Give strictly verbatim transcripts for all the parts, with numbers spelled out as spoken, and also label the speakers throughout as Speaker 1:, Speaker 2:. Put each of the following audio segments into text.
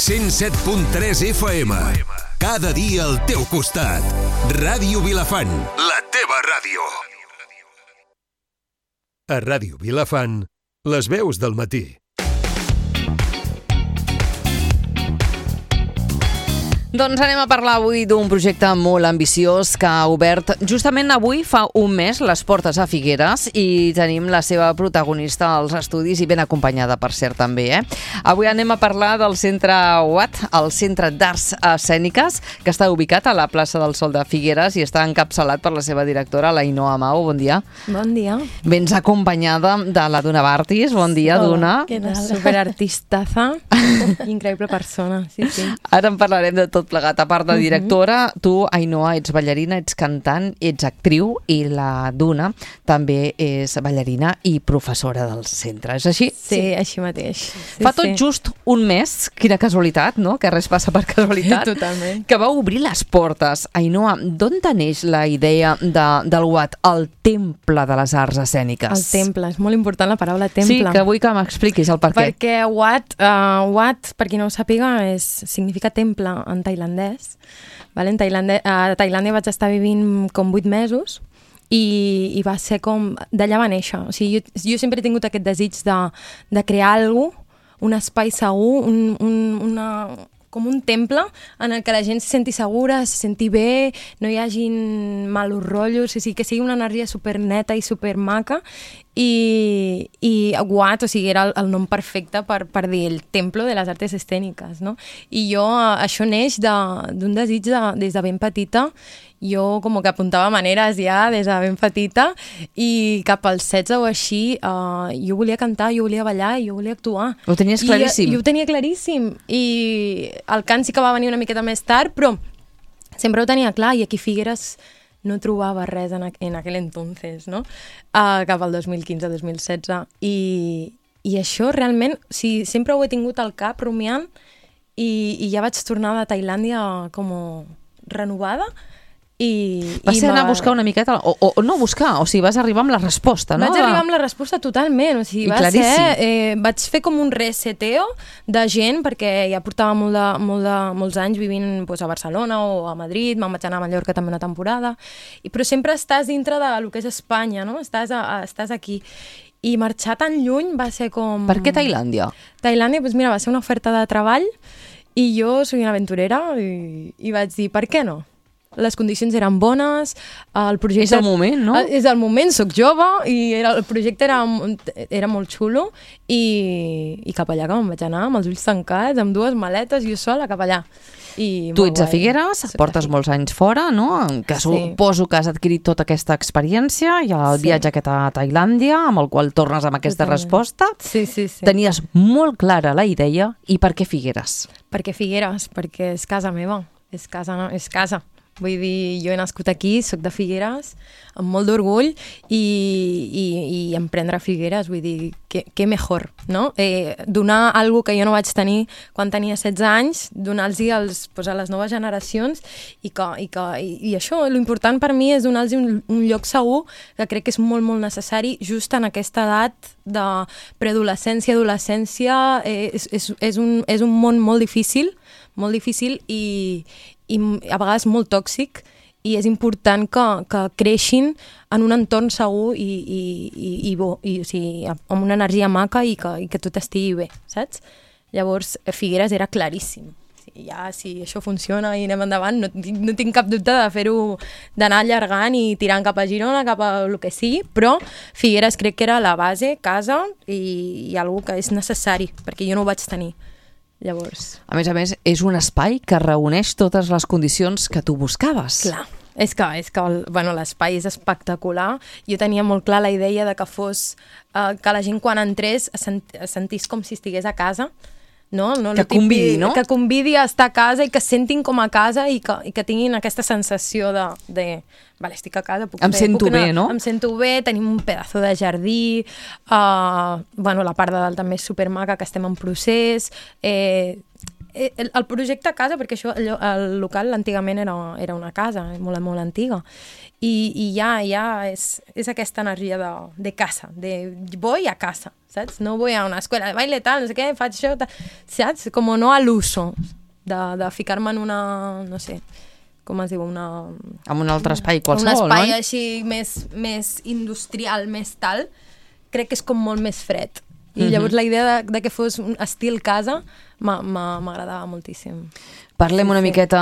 Speaker 1: cent set punt tres F M. Cada dia al teu costat. Ràdio Vilafant, la teva ràdio. A Ràdio Vilafant, les veus del matí.
Speaker 2: Doncs anem a parlar avui d'un projecte molt ambiciós que ha obert justament avui fa un mes les portes a Figueres i tenim la seva protagonista als estudis i ben acompanyada, per cert, també. Eh? Avui anem a parlar del Centre U A T, el Centre d'Arts Escèniques, que està ubicat a la plaça del Sol de Figueres i està encapçalat per la seva directora, l'Ainhoa Amau. Bon dia.
Speaker 3: Bon dia.
Speaker 2: Vens acompanyada de la Duna Bartis. Bon dia,
Speaker 3: Hola,
Speaker 2: Duna.
Speaker 3: Què tal? Superartistaza. Increïble persona, sí, sí.
Speaker 2: Ara en parlarem de tot plegat. A part de directora, uh-huh. tu, Ainoa, ets ballarina, ets cantant, ets actriu i la Duna també és ballarina i professora del centre. És així?
Speaker 3: Sí, sí. Així mateix. Sí,
Speaker 2: Fa tot
Speaker 3: sí.
Speaker 2: just un mes, quina casualitat, no? Que res passa per casualitat.
Speaker 3: Totalment.
Speaker 2: Que va obrir les portes. Ainoa, d'on neix la idea de, del U A T, el temple de les arts escèniques?
Speaker 3: El temple, és molt important la paraula temple.
Speaker 2: Sí, que vull que m'expliquis el per què.
Speaker 3: Perquè U A T, uh, U A T, per qui no ho sàpiga, és, significa temple en tailandès. Vale? En Tailàndia, a Tailàndia vaig estar vivint com vuit mesos i, i va ser com... D'allà va néixer. O sigui, jo, jo sempre he tingut aquest desig de, de crear alguna cosa, un espai segur, un, un, una, com un temple en el que la gent se senti segura, se senti bé, no hi hagin malos rotllos, o sigui, que sigui una energia superneta i supermaca. I, i U A T, o sigui, era el, el nom perfecte per, per dir el Templo de les Artes Escèniques, no? I jo, això neix d'un de, desig de, des de ben petita. Jo com que apuntava maneres ja des de ben petita i cap als setze o així uh, jo volia cantar, jo volia ballar, jo volia actuar.
Speaker 2: Ho tenies claríssim?
Speaker 3: I, jo ho tenia claríssim. I el cant sí que va venir una miqueta més tard, però sempre ho tenia clar i aquí a Figueres no trobava res en, en aquell entonces, no? Uh, cap al dos mil quinze dos mil setze. I, i això realment, o sigui, sempre ho he tingut al cap rumiant i, i ja vaig tornar de Tailàndia com renovada. I,
Speaker 2: vas
Speaker 3: i
Speaker 2: ser anar a buscar una miqueta, o, o, o no buscar, o sigui, vas arribar amb la resposta, no?
Speaker 3: Vaig arribar amb la resposta totalment, o sigui, va
Speaker 2: claríssim.
Speaker 3: ser, eh, vaig fer com un reseteo de gent, perquè ja portava molt de, molt de, molts anys vivint pues, a Barcelona o a Madrid, me'n vaig anar a Mallorca també una temporada, i, però sempre estàs dintre de lo que és Espanya, no? Estàs, a, a, estàs aquí. I marxar tan lluny va ser com...
Speaker 2: Per què Tailàndia?
Speaker 3: Tailàndia, doncs mira, va ser una oferta de treball i jo soy una aventurera i, i vaig dir, per què no? Les condicions eren bones, el projecte...
Speaker 2: És el moment, no?
Speaker 3: És el moment, soc jove i era, el projecte era, era molt xulo i, i cap allà que me'n vaig anar amb els ulls tancats, amb dues maletes, jo sola cap allà. I
Speaker 2: tu ets a Figueres, portes molts anys fora, no? Que
Speaker 3: sí.
Speaker 2: Suposo que has adquirit tota aquesta experiència i el sí. viatge aquest a Tailàndia, amb el qual tornes amb aquesta Totalment. resposta.
Speaker 3: Sí, sí, sí.
Speaker 2: Tenies molt clara la idea. I per què Figueres?
Speaker 3: Per què Figueres? Perquè és casa meva. És casa, és casa. Vull dir, jo he nascut aquí, soc de Figueres, amb molt d'orgull i, i, i emprendre a Figueres, vull dir, què, què mejor, no? Eh, donar alguna que jo no vaig tenir quan tenia setze anys, donar-los pues, a les noves generacions i, que, i, que, i, i això, l'important per mi és donar-los un, un lloc segur que crec que és molt, molt necessari just en aquesta edat de preadolescència, adolescència, eh, és, és, és, un, és un món molt difícil, molt difícil i, i a vegades molt tòxic i és important que, que creixin en un entorn segur i, i, i, i bo, i, o sigui, amb una energia maca i que, i que tot estigui bé, saps? Llavors, Figueres era claríssim. Ja, si això funciona i anem endavant, no, no tinc cap dubte de fer-ho, d'anar allargant i tirant cap a Girona, cap a el que sigui, però Figueres crec que era la base, casa i, i alguna que és necessari, perquè jo no ho vaig tenir. Llavors...
Speaker 2: A més a més, és un espai que reuneix totes les condicions que tu buscaves.
Speaker 3: Clar, és que, és que el, bueno, l'espai és espectacular. Jo tenia molt clar la idea de que fos, eh, que la gent quan entrés es, sent, es sentís com si estigués a casa. No? No,
Speaker 2: que convidi, no?
Speaker 3: Que convidi a estar a casa i que sentin com a casa i que, i que tinguin aquesta sensació de, de vale, estic a casa, puc
Speaker 2: em
Speaker 3: fer,
Speaker 2: sento
Speaker 3: puc anar,
Speaker 2: bé, no?
Speaker 3: Em sento bé, tenim un pedazo de jardí, uh, bueno, la part de dalt també és supermaca, que estem en procés, eh, el, el projecte casa, perquè això, el, el local antigament era, era una casa, molt, molt antiga, i, i ja, ja és, és aquesta energia de, de casa, de voy a casa, saps? No voy a una escuela de baile, tal, no sé què, faig això, tal, saps? Com no a l'uso, de, de ficar-me en una, no sé, com es diu, una...
Speaker 2: En un altre espai qualsevol, no?
Speaker 3: Un espai
Speaker 2: no?
Speaker 3: així més, més industrial, més tal, crec que és com molt més fred. I llavors la idea de, de que fos un estil casa m'agradava moltíssim.
Speaker 2: Parlem
Speaker 3: Sí,
Speaker 2: una
Speaker 3: sí.
Speaker 2: miqueta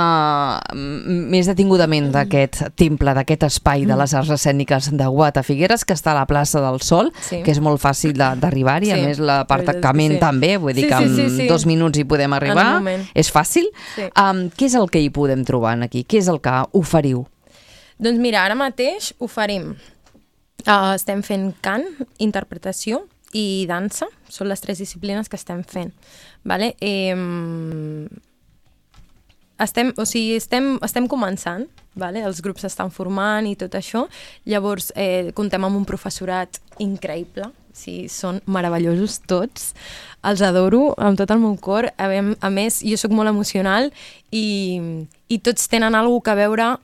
Speaker 2: més detingudament d'aquest temple, d'aquest espai de les arts escèniques de Guata Figueres, que està a la plaça del Sol,
Speaker 3: Sí.
Speaker 2: que és molt fàcil de- d'arribar-hi, a
Speaker 3: Sí,
Speaker 2: més l'aparcament
Speaker 3: sí.
Speaker 2: també, vull dir
Speaker 3: Sí,
Speaker 2: que
Speaker 3: sí,
Speaker 2: en
Speaker 3: sí, sí.
Speaker 2: dos minuts hi podem arribar,
Speaker 3: En un moment.
Speaker 2: és fàcil.
Speaker 3: Sí.
Speaker 2: Um, què és el que hi podem trobar aquí? Què és el que oferiu?
Speaker 3: Doncs mira, ara mateix oferim. Uh, estem fent cant, interpretació i dansa. Són les tres disciplines que estem fent. Vale? Eh, estem, o sigui, estem, estem començant, vale? Els grups s'estan formant i tot això. Llavors, eh, comptem amb un professorat increïble. Sí, són meravellosos tots. Els adoro amb tot el meu cor. A, a més, jo sóc molt emocional i, i tots tenen alguna cosa a veure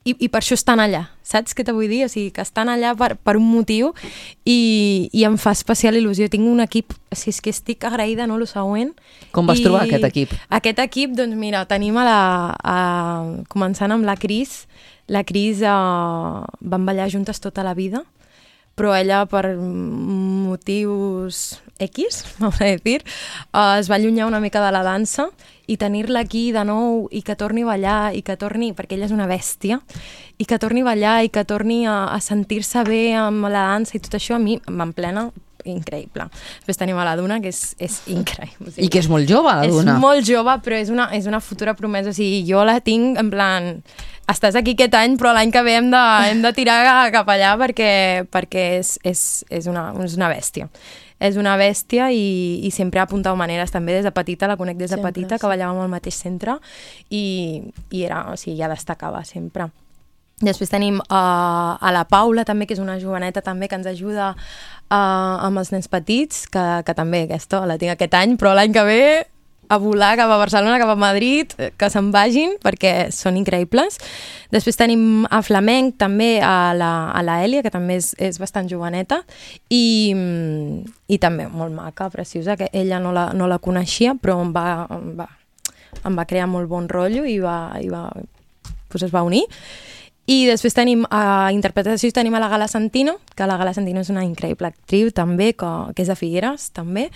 Speaker 3: i, i per això estan allà, saps què te vull dir? O sigui, que estan allà per, per un motiu i, i em fa especial il·lusió. Tinc un equip, o sigui, és que estic agraïda, no?, lo següent.
Speaker 2: Com vas
Speaker 3: I
Speaker 2: trobar aquest equip?
Speaker 3: Aquest equip, doncs mira, tenim a la... A, començant amb la Cris. La Cris eh, van ballar juntes tota la vida, però ella, per motius X, vamos a decir, eh, es va allunyar una mica de la dansa i tenir-la aquí de nou i que torni a ballar i que torni, perquè ella és una bèstia, i que torni a ballar i que torni a, a sentir-se bé amb la dansa i tot això, a mi m'emplena increïble. Després tenim a la Duna, que és, és increïble. O sigui,
Speaker 2: I que és molt jove, la Duna.
Speaker 3: és molt jove, però és una, és una futura promesa. O sigui, jo la tinc en plan... Estàs aquí aquest any, però l'any que ve hem de, hem de tirar cap allà perquè, perquè és, és, és, una, és una bèstia. És una bèstia i, i sempre ha apuntat maneres. També des de petita, la conec des de
Speaker 4: Sempre,
Speaker 3: petita,
Speaker 4: sí.
Speaker 3: que ballàvem al mateix centre i, i era, o sigui, ja destacava sempre. Després tenim uh, a la Paula, també, que és una joveneta també que ens ajuda uh, amb els nens petits, que, que també aquesta la tinc aquest any, però l'any que ve a volar cap a Barcelona, cap a Madrid, que se'n vagin, perquè són increïbles. Després tenim a Flamenc, també, a la, a la Èlia, que també és, és bastant joveneta, i, i també molt maca, preciosa, que ella no la, no la coneixia, però em va, em va, em va crear molt bon rotllo i, va, i va, pues es va unir. I després tenim a interpretació, tenim a la Gala Santino, que la Gala Santino és una increïble actriu també, que, que és de Figueres també,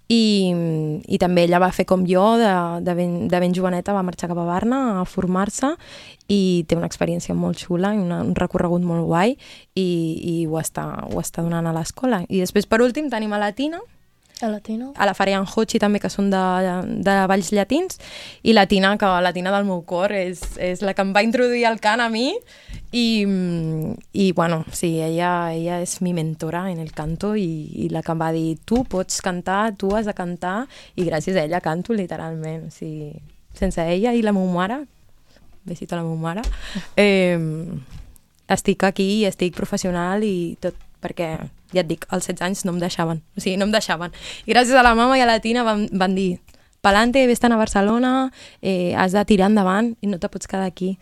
Speaker 3: i, i també ella va fer com jo, de, de, ben, de ben joveneta, va marxar cap a Barna a formar-se i té una experiència molt xula i una, un recorregut molt guai i, i ho, està, ho està donant a l'escola. I després, per últim, tenim a la Tina,
Speaker 4: A Latino.
Speaker 3: a la Farian Hochi també, que són de, de balls llatins, i la Tina, que la Tina del meu cor és, és la que em va introduir al cant a mi i, i bueno, sí, ella, ella és mi mentora en el canto i, i la que em va dir, tu pots cantar, tu has de cantar, i gràcies a ella canto literalment. O sigui, sense ella i la meva mare, besito a la meva mare, eh, estic aquí i estic professional i tot, perquè ja et dic, als setze anys no em deixaven, o sigui, no em deixaven. I gràcies a la mama i a la Tina van, van dir, pa'lante, vés-te'n a Barcelona, eh, has de tirar endavant i no te pots quedar aquí.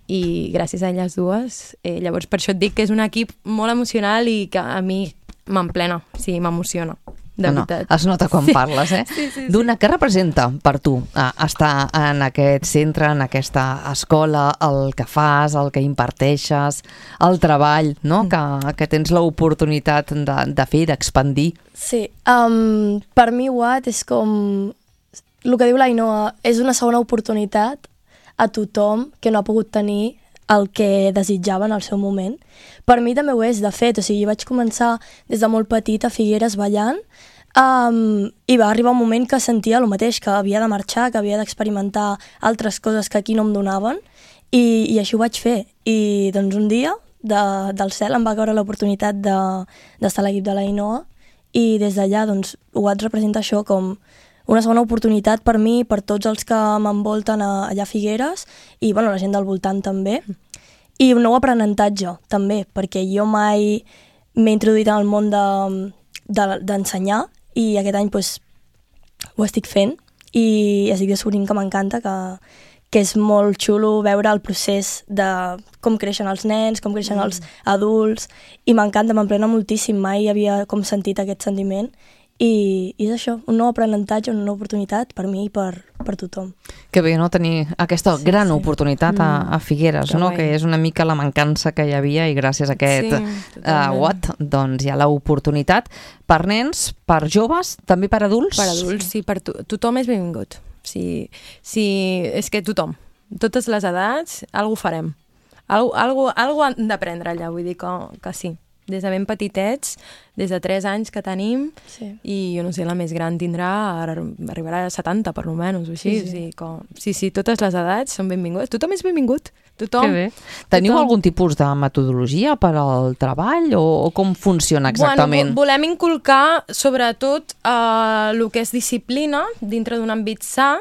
Speaker 3: I gràcies a elles dues, eh, llavors per això et dic que és un equip molt emocional i que a mi m'emplena, o sigui, m'emociona. De
Speaker 2: no,
Speaker 3: veritat.
Speaker 2: es nota quan
Speaker 3: Sí.
Speaker 2: parles, eh?
Speaker 3: Sí, sí, sí.
Speaker 2: Duna, què representa per tu eh, estar en aquest centre, en aquesta escola, el que fas, el que imparteixes, el treball, no? que, que tens l'oportunitat de, de fer, d'expandir?
Speaker 4: Sí, um, per mi Watt és com... El que diu l'Ainoa, és una segona oportunitat a tothom que no ha pogut tenir el que desitjava en el seu moment. Per mi també ho és, de fet, o sigui, vaig començar des de molt petit a Figueres ballant um, i va arribar un moment que sentia el mateix, que havia de marxar, que havia d'experimentar altres coses que aquí no em donaven i, i així ho vaig fer. I doncs un dia de, del cel em va caure l'oportunitat d'estar de, a l'equip de l'Ainoa i des d'allà doncs, ho vaig representar això com una segona oportunitat per mi, per tots els que m'envolten allà a Figueres i bueno, la gent del voltant també. I un nou aprenentatge també, perquè jo mai m'he introduït en el món d'ensenyar de, de, i aquest any pues, ho estic fent i estic descobrint que m'encanta, que, que és molt xulo veure el procés de com creixen els nens, com creixen mm. els adults, i m'encanta, m'emplena moltíssim, mai havia com sentit aquest sentiment, i, i és això, un nou aprenentatge, una nova oportunitat per mi i per, per tothom.
Speaker 2: Que bé, no?, tenir aquesta
Speaker 4: Sí,
Speaker 2: gran
Speaker 4: sí.
Speaker 2: oportunitat a, a Figueres,
Speaker 3: Que
Speaker 2: no?,
Speaker 3: guai.
Speaker 2: que és una mica la mancança que hi havia i gràcies a aquest
Speaker 3: Sí,
Speaker 2: uh,
Speaker 3: totalment.
Speaker 2: what, doncs hi ha l'oportunitat per nens, per joves, també per adults?
Speaker 3: Per adults, sí, per to tothom és benvingut. Sí, sí, és que tothom, totes les edats, alguna farem. Algo, algo, algo han d'aprendre allà, vull dir que, que sí. Des de ben petitets, des de tres anys que tenim,
Speaker 4: Sí.
Speaker 3: i jo no sé, la més gran tindrà, ara arribarà a setanta per lo menys, o així.
Speaker 4: Sí, sí.
Speaker 3: O sigui que, sí, sí, totes les edats són benvingudes. Tothom és benvingut. Tothom.
Speaker 2: Que bé. Teniu
Speaker 3: Tothom.
Speaker 2: algun tipus de metodologia per al treball o, o com funciona exactament?
Speaker 3: Bueno, vo- volem inculcar sobretot eh, el que és disciplina dintre d'un àmbit sa.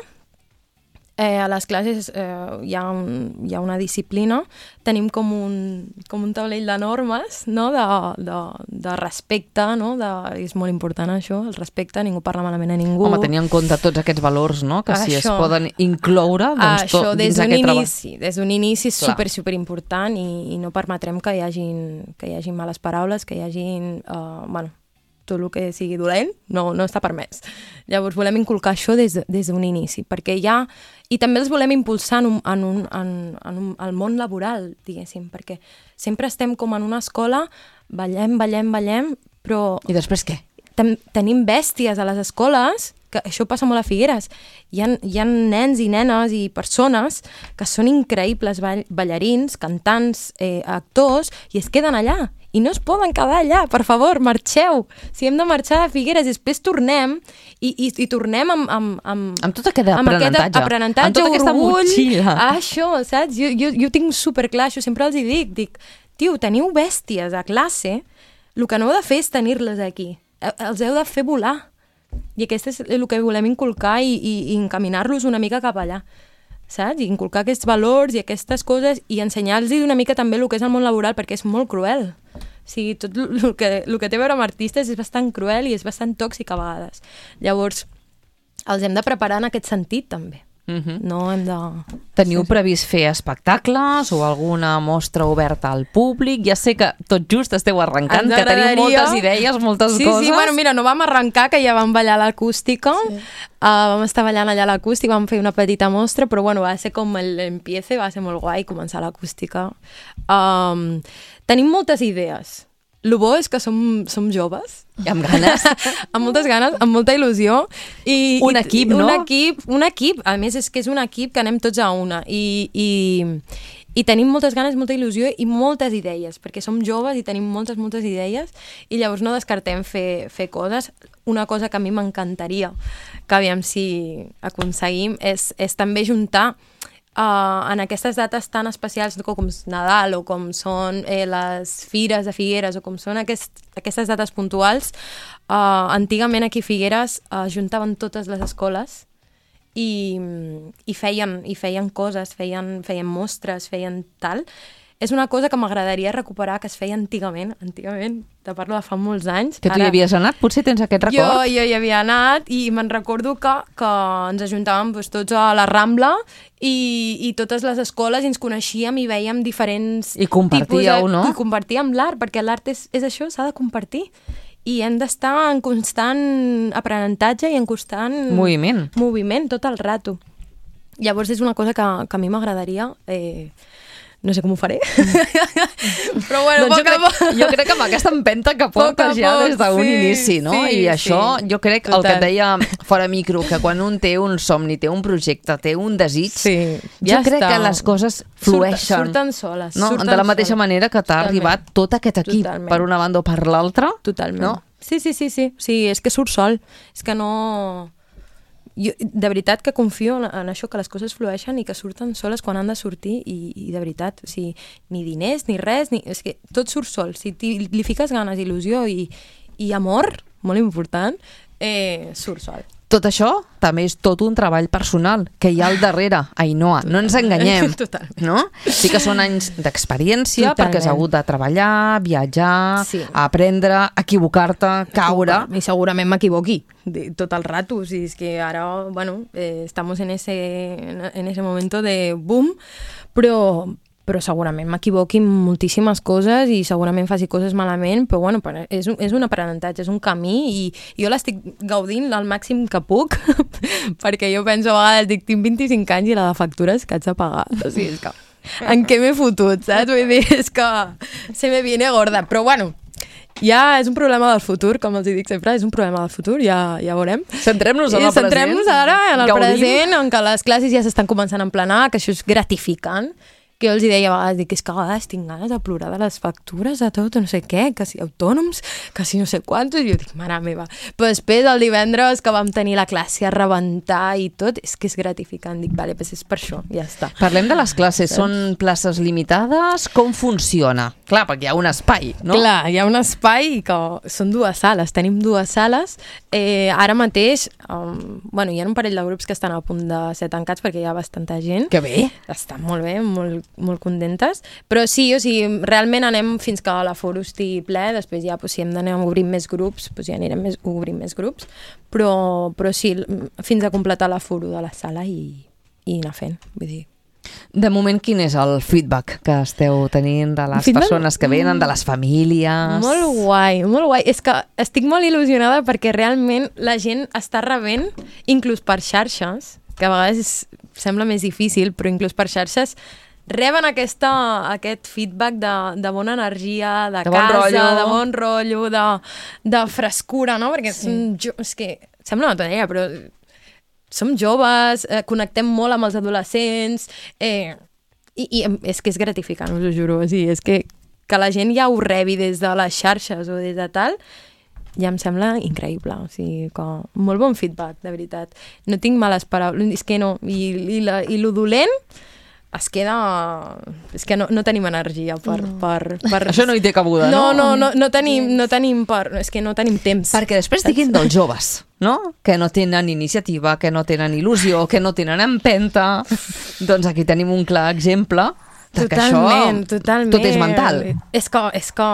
Speaker 3: Eh, a les classes eh, hi, ha un, hi ha una disciplina, tenim com un, com un taulell de normes, no? de, de, de respecte, no? de, és molt important això, el respecte, ningú parla malament a ningú.
Speaker 2: Home, tenir en compte tots aquests valors, no?, que si es
Speaker 3: Això.
Speaker 2: poden incloure doncs,
Speaker 3: Això,
Speaker 2: tot,
Speaker 3: des
Speaker 2: dins
Speaker 3: d'un
Speaker 2: aquest treball.
Speaker 3: inici, des d'un inici és
Speaker 2: Clar.
Speaker 3: super, super important i, i no permetrem que hi hagin, que hi hagin males paraules, que hi hagin, uh, bueno, tot el que sigui dolent no, no està permès. Llavors volem inculcar això des, de, des d'un inici, perquè ja... I també els volem impulsar en un, en un, en, en un, al món laboral, diguéssim, perquè sempre estem com en una escola, ballem, ballem, ballem, però
Speaker 2: I després què?
Speaker 3: ten, tenim bèsties a les escoles, que això passa molt a Figueres. Hi ha, hi ha nens i nenes i persones que són increïbles ball, ballarins, cantants, eh, actors, i es queden allà. I no es poden quedar allà, per favor, marxeu. Si hem de marxar de Figueres, després tornem i, i, i tornem amb, amb, amb,
Speaker 2: Amb tot aquest
Speaker 3: amb aquest
Speaker 2: aprenentatge.
Speaker 3: aprenentatge,
Speaker 2: Amb tota aquesta
Speaker 3: orgull.
Speaker 2: motxilla.
Speaker 3: Ah, això, saps? Jo, jo, jo tinc superclar, això sempre els hi dic. Dic, tio, teniu bèsties a classe, el que no heu de fer és tenir-les aquí. Eh, Els heu de fer volar. I aquest és el que volem inculcar i, i, i encaminar-los una mica cap allà. Saps? I inculcar aquests valors i aquestes coses i ensenyar-los una mica també el que és el món laboral, perquè és molt cruel. O sigui, tot el que, el que té a veure amb artistes és bastant cruel i és bastant tòxic a vegades. Llavors, els hem de preparar en aquest sentit, també.
Speaker 2: Uh-huh.
Speaker 3: No hem de...
Speaker 2: Teniu previst fer espectacles o alguna mostra oberta al públic? Ja sé que tot just esteu arrencant,
Speaker 3: Ens
Speaker 2: que teniu
Speaker 3: agradaria-
Speaker 2: moltes idees, moltes
Speaker 3: sí,
Speaker 2: coses.
Speaker 3: Sí, bueno, mira, no vam arrencar, que ja vam ballar a l'acústica,
Speaker 4: Sí.
Speaker 3: uh, vam estar ballant allà a l'acústica, vam fer una petita mostra, però bueno, va ser com l'empiece, va ser molt guai començar a l'acústica. Um, tenim moltes idees. El bo és que som, som joves.
Speaker 2: I amb ganes.
Speaker 3: Amb moltes ganes, amb molta il·lusió. I,
Speaker 2: Un
Speaker 3: i,
Speaker 2: equip, no?
Speaker 3: Un equip, un equip. A més, és que és un equip que anem tots a una. I, i, i tenim moltes ganes, molta il·lusió i moltes idees, perquè som joves i tenim moltes, moltes idees, i llavors no descartem fer, fer coses. Una cosa que a mi m'encantaria, que aviam si aconseguim, és, és també juntar Uh, en aquestes dates tan especials com és Nadal o com són eh, les fires de Figueres o com són aquest, aquestes dates puntuals, uh, antigament aquí a Figueres uh, juntaven totes les escoles i, i, feien, i feien coses, feien, feien mostres, feien tal. És una cosa que m'agradaria recuperar, que es feia antigament, antigament, te parlo de fa molts anys.
Speaker 2: Que tu hi havies anat? Potser tens aquest record?
Speaker 3: Jo, jo hi havia anat i me'n recordo que, que ens ajuntàvem doncs, tots a la Rambla i, i totes les escoles i ens coneixíem i veiem diferents
Speaker 2: I compartíeu,
Speaker 3: tipus de,
Speaker 2: no?
Speaker 3: I compartíem l'art, perquè l'art és, és això, s'ha de compartir. I hem d'estar en constant aprenentatge i en constant...
Speaker 2: Moviment.
Speaker 3: Moviment, tot el rato. Llavors és una cosa que, que a mi m'agradaria... Eh, no sé com ho faré. Però bueno,
Speaker 2: Doncs jo,
Speaker 3: poc a
Speaker 2: crec,
Speaker 3: poc.
Speaker 2: jo crec que amb aquesta empenta que
Speaker 3: Poc a
Speaker 2: portes ja
Speaker 3: poc,
Speaker 2: des d'un
Speaker 3: sí,
Speaker 2: inici, no?
Speaker 3: sí,
Speaker 2: I això,
Speaker 3: sí.
Speaker 2: jo crec,
Speaker 3: Total.
Speaker 2: el que et deia fora micro, que quan un té un somni, té un projecte, té un desig,
Speaker 3: Sí,
Speaker 2: jo
Speaker 3: ja
Speaker 2: crec
Speaker 3: està.
Speaker 2: que les coses flueixen.
Speaker 3: Surten, surten soles.
Speaker 2: No?
Speaker 3: Surten
Speaker 2: De la mateixa
Speaker 3: soles.
Speaker 2: manera que t'ha
Speaker 3: Totalment.
Speaker 2: arribat tot aquest equip,
Speaker 3: Totalment.
Speaker 2: per una banda o per l'altra.
Speaker 3: Totalment.
Speaker 2: No?
Speaker 3: Sí, sí, sí, sí. Sí, és que surt sol. És que no... Jo, de veritat que confio en, en això, que les coses flueixen i que surten soles quan han de sortir i, i de veritat, o sigui, ni diners, ni res, ni, és que tot surt sol. Si ti, li fiques ganes, il·lusió i, i amor, molt important, eh, surt sol.
Speaker 2: Tot això també és tot un treball personal que hi ha al darrere, Ainhoa, no ens enganyem.
Speaker 3: Totalment.
Speaker 2: No? Sí que són anys d'experiència perquè has hagut de treballar, viatjar,
Speaker 3: sí.
Speaker 2: aprendre, equivocar-te, caure.
Speaker 3: I segurament m'equivoqui tot el rato. O sigui, és que ara, bueno, eh, estamos en ese, en ese momento de boom, però... però segurament m'equivoqui en moltíssimes coses i segurament faci coses malament, però bueno, és un, és un aprenentatge, és un camí i jo l'estic gaudint al màxim que puc perquè jo penso a vegades, dic, tinc vint-i-cinc anys i la de factures que haig de pagar. O sigui, és que en què m'he fotut, saps? Vull dir, és que se me viene gorda, però bueno, ja és un problema del futur, com els dic sempre, és un problema del futur, ja, ja veurem.
Speaker 2: Centrem-nos en el present.
Speaker 3: Centrem-nos ara en el
Speaker 2: Gaudim.
Speaker 3: present, en què les classes ja s'estan començant a emplenar, que això és gratificant, que jo els deia a vegades, dic, és que a vegades tinc ganes de plorar de les factures, de tot, no sé què, que si autònoms, que si no sé quantos, i jo dic, mare meva. Però després, el divendres que vam tenir la classe a rebentar i tot, és que és gratificant. Dic, vale, doncs és per això, ja està.
Speaker 2: Parlem de les classes, són places limitades? Com funciona? Clar, perquè hi ha un espai, no?
Speaker 3: Clar, hi ha un espai que són dues sales, tenim dues sales. Eh, ara mateix, um, bueno, hi ha un parell de grups que estan a punt de ser tancats perquè hi ha bastanta gent.
Speaker 2: Que bé!
Speaker 3: Estan molt bé, molt molt contentes, però sí, o sigui, realment anem fins que l'aforo estigui ple, després ja, pues, si hem d'anar obrint més grups, pues, ja anirem més, obrint més grups, però, però sí, fins a completar l'aforo de la sala i, i anar fent, vull dir.
Speaker 2: De moment, quin és el feedback que esteu tenint de les feedback? Persones que venen, de les famílies?
Speaker 3: Molt guai, molt guai. És que estic molt il·lusionada perquè realment la gent està rebent, inclús per xarxes, que a vegades sembla més difícil, però inclús per xarxes reben aquesta, aquest feedback de, de bona energia, de, de casa, bon de bon rotllo, de, de frescura, no? Perquè sí. som jo, és que sembla una tonteria, però som joves, eh, connectem molt amb els adolescents, eh, i, i és que és gratificant, us ho juro. O sigui, és que, que la gent ja ho rebi des de les xarxes o des de tal, ja em sembla increïble, o sigui, que molt bon feedback, de veritat. No tinc males paraules, és que no, i, i, la, i lo dolent es queda... És que no, no tenim energia per, no. per, per...
Speaker 2: Això no hi té cabuda, no?
Speaker 3: No, no, no, no tenim, no tenim per... És que no tenim temps.
Speaker 2: Perquè després diguin dels joves, no? Que no tenen iniciativa, que no tenen il·lusió, que no tenen empenta. Doncs aquí tenim un clar exemple de que
Speaker 3: totalment,
Speaker 2: això
Speaker 3: totalment.
Speaker 2: tot és mental.
Speaker 3: És que... És que...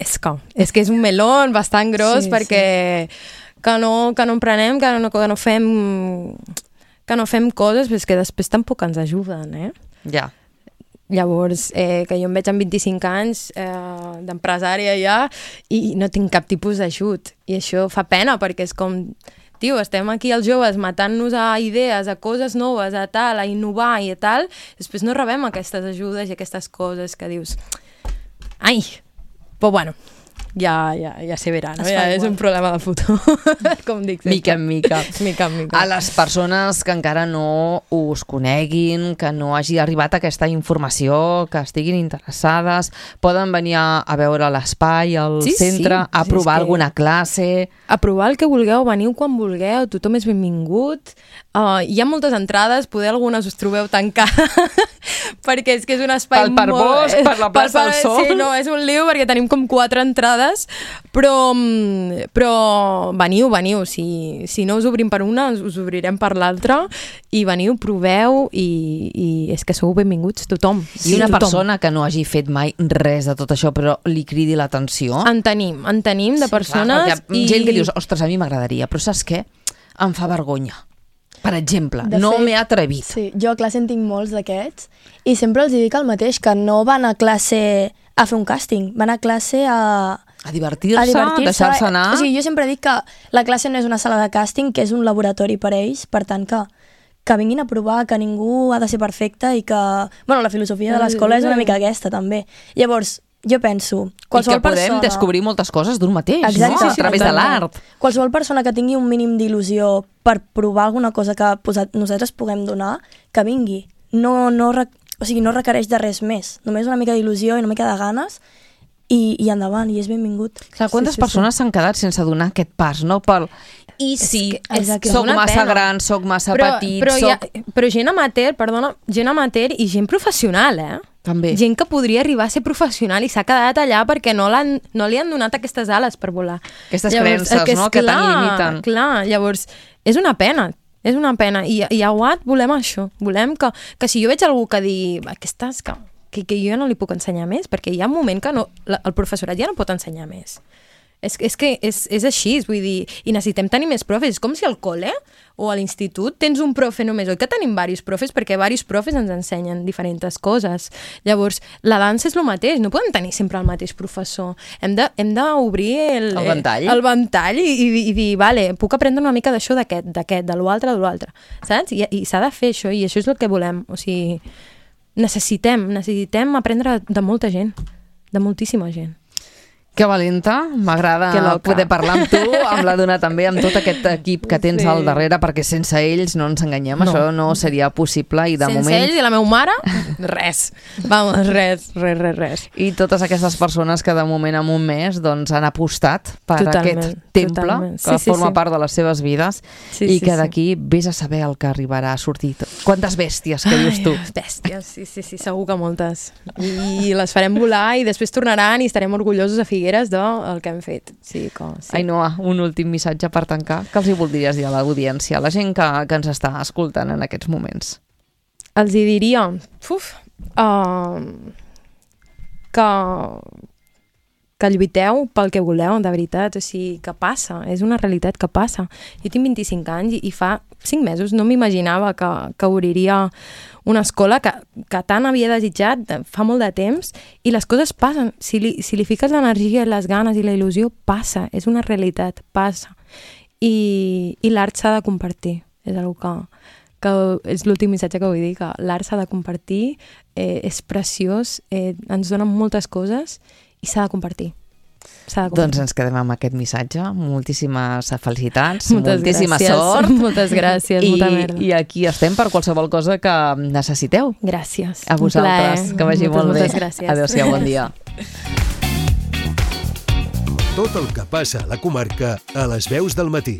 Speaker 3: És que, és que és un melón bastant gros, sí, perquè sí. Que, no, que no emprenem, que no, que no fem... que no fem coses, però és que després tampoc ens ajuden, eh?
Speaker 2: Ja.
Speaker 3: Llavors, eh, que jo em veig amb vint-i-cinc anys eh, d'empresària ja i no tinc cap tipus d'ajut. I això fa pena, perquè és com... Tio, estem aquí els joves matant-nos a idees, a coses noves, a tal, a innovar i a tal, després no rebem aquestes ajudes i aquestes coses que dius... Ai! Però bueno... Ja, ja, ja se verà, no? Ja és un problema del futur, com dic sempre.
Speaker 2: Mica en mica.
Speaker 3: mica en mica.
Speaker 2: A les persones que encara no us coneguin, que no hagi arribat aquesta informació, que estiguin interessades, poden venir a, a veure l'espai, al
Speaker 3: sí,
Speaker 2: centre,
Speaker 3: sí.
Speaker 2: a provar
Speaker 3: sí,
Speaker 2: alguna que... classe...
Speaker 3: A provar el que vulgueu, veniu quan vulgueu, tothom és benvingut. Uh, hi ha moltes entrades, poder algunes us trobeu tancades, perquè és que és un espai
Speaker 2: pel
Speaker 3: molt...
Speaker 2: Bosc, per la plaça del Sol.
Speaker 3: Sí, no, és un lío perquè tenim com quatre entrades, però, però veniu, veniu. Si, si no us obrim per una, us obrirem per l'altra, i veniu, proveu, i, i és que sou benvinguts tothom.
Speaker 2: I una
Speaker 3: tothom.
Speaker 2: persona que no hagi fet mai res de tot això, però li cridi l'atenció...
Speaker 3: En tenim, en tenim de
Speaker 2: sí,
Speaker 3: persones...
Speaker 2: Clar, hi ha gent que dius, ostres, a mi m'agradaria, però saps què? Em fa vergonya. Per exemple,
Speaker 4: de
Speaker 2: no
Speaker 4: fet,
Speaker 2: m'he atrevit.
Speaker 4: Sí, jo a classe en tinc molts d'aquests i sempre els dic el mateix, que no van a classe a fer un càsting, van a classe a...
Speaker 2: A divertir-se, divertir deixar-se anar...
Speaker 4: O sigui, jo sempre dic que la classe no és una sala de càsting, que és un laboratori per a ells, per tant que, que vinguin a provar, que ningú ha de ser perfecte i que... Bueno, la filosofia de l'escola és una mica aquesta, també. Llavors, jo penso...
Speaker 2: Qualsevol I que podem persona... descobrir moltes coses d'un mateix, exacte, no? Sí, sí, a través de l'art.
Speaker 4: Qualsevol persona que tingui un mínim d'il·lusió per provar alguna cosa que nosaltres puguem donar, que vingui. No, no, o sigui, no requereix de res més. Només una mica d'il·lusió i una mica de ganes i, i endavant, i és benvingut.
Speaker 2: Clar, quantes sí, sí, persones s'han sí. quedat sense donar aquest pas, no? Pel... I sí, és que, soc massa pena. gran, soc massa
Speaker 3: però,
Speaker 2: petit,
Speaker 3: però,
Speaker 2: soc...
Speaker 3: ha, però gent amateur, perdona, gent amateur i gent professional, eh?
Speaker 2: També.
Speaker 3: Gent que podria arribar a ser professional i s'ha quedat allà perquè no, l'han, no li han donat aquestes ales per volar.
Speaker 2: Aquestes creences,
Speaker 3: aquest,
Speaker 2: no?, que
Speaker 3: clar,
Speaker 2: tant limiten.
Speaker 3: Clar, llavors, és una pena, és una pena. I, i a U A T volem això, volem que, que si jo veig algú que di aquestes, que, que, que jo no li puc ensenyar més, perquè hi ha un moment que no, la, el professorat ja no pot ensenyar més. És, és que és, és així, vull dir, i necessitem tenir més profes. És com si al col·le o a l'institut tens un profe només, oi que tenim diversos profes, perquè diversos profes ens ensenyen diferents coses. Llavors, la dansa és el mateix, no podem tenir sempre el mateix professor. Hem de, hem d'obrir el,
Speaker 2: el ventall,
Speaker 3: el ventall i, i, i dir, vale, puc aprendre una mica d'això, d'aquest, d'aquest, de l'altre, de l'altre, saps? I, i s'ha de fer això, i això és el que volem. O sigui, necessitem, necessitem aprendre de molta gent, de moltíssima gent.
Speaker 2: Que valenta, m'agrada poder parlar amb tu, amb la Duna també, amb tot aquest equip que tens sí. al darrere, perquè sense ells, no ens enganyem, no. això no seria possible i de
Speaker 3: sense
Speaker 2: moment...
Speaker 3: Sense ells i la meva mare, res. Vamos, res, res, res, res.
Speaker 2: I totes aquestes persones que de moment en un mes doncs, han apostat per totalment, aquest temple totalment. que sí, sí, forma sí. part de les seves vides sí, i sí, que d'aquí sí. vés a saber el que arribarà a sortir. Quantes bèsties que dius tu?
Speaker 3: Ai, bèsties, sí, sí, sí, segur que moltes. I les farem volar i després tornaran i estarem orgullosos a Figueres del que hem fet. Sí, com, sí.
Speaker 2: Ainhoa, un últim missatge per tancar. Què els hi voldries dir a l'audiència, a la gent que, que ens està escoltant en aquests moments?
Speaker 3: Els hi diria uf, uh, que, que lluiteu pel que voleu, de veritat. O sigui, que passa, és una realitat que passa. Jo tinc vint-i-cinc anys i, i fa cinc mesos no m'imaginava que, que obriria una escola que, que tant havia desitjat fa molt de temps i les coses passen. Si li, si li fiques l'energia, les ganes i la il·lusió, passa. És una realitat, passa. I, i l'art s'ha de compartir. És una que, que és l'últim missatge que vull dir, que l'art s'ha de compartir, eh, és preciós, eh, ens dona moltes coses i s'ha de compartir.
Speaker 2: Doncs ens quedem amb aquest missatge. Moltíssimes felicitats,
Speaker 3: moltes
Speaker 2: moltíssima
Speaker 3: gràcies.
Speaker 2: sort.
Speaker 3: Moltes gràcies,
Speaker 2: I,
Speaker 3: molta merda.
Speaker 2: I aquí estem per qualsevol cosa que necessiteu.
Speaker 3: Gràcies.
Speaker 2: A vosaltres, que vagi
Speaker 3: moltes,
Speaker 2: molt
Speaker 3: moltes
Speaker 2: bé.
Speaker 3: Gràcies.
Speaker 2: Adéu-siau, bon dia.
Speaker 1: Tot el que passa a la comarca a les veus del matí.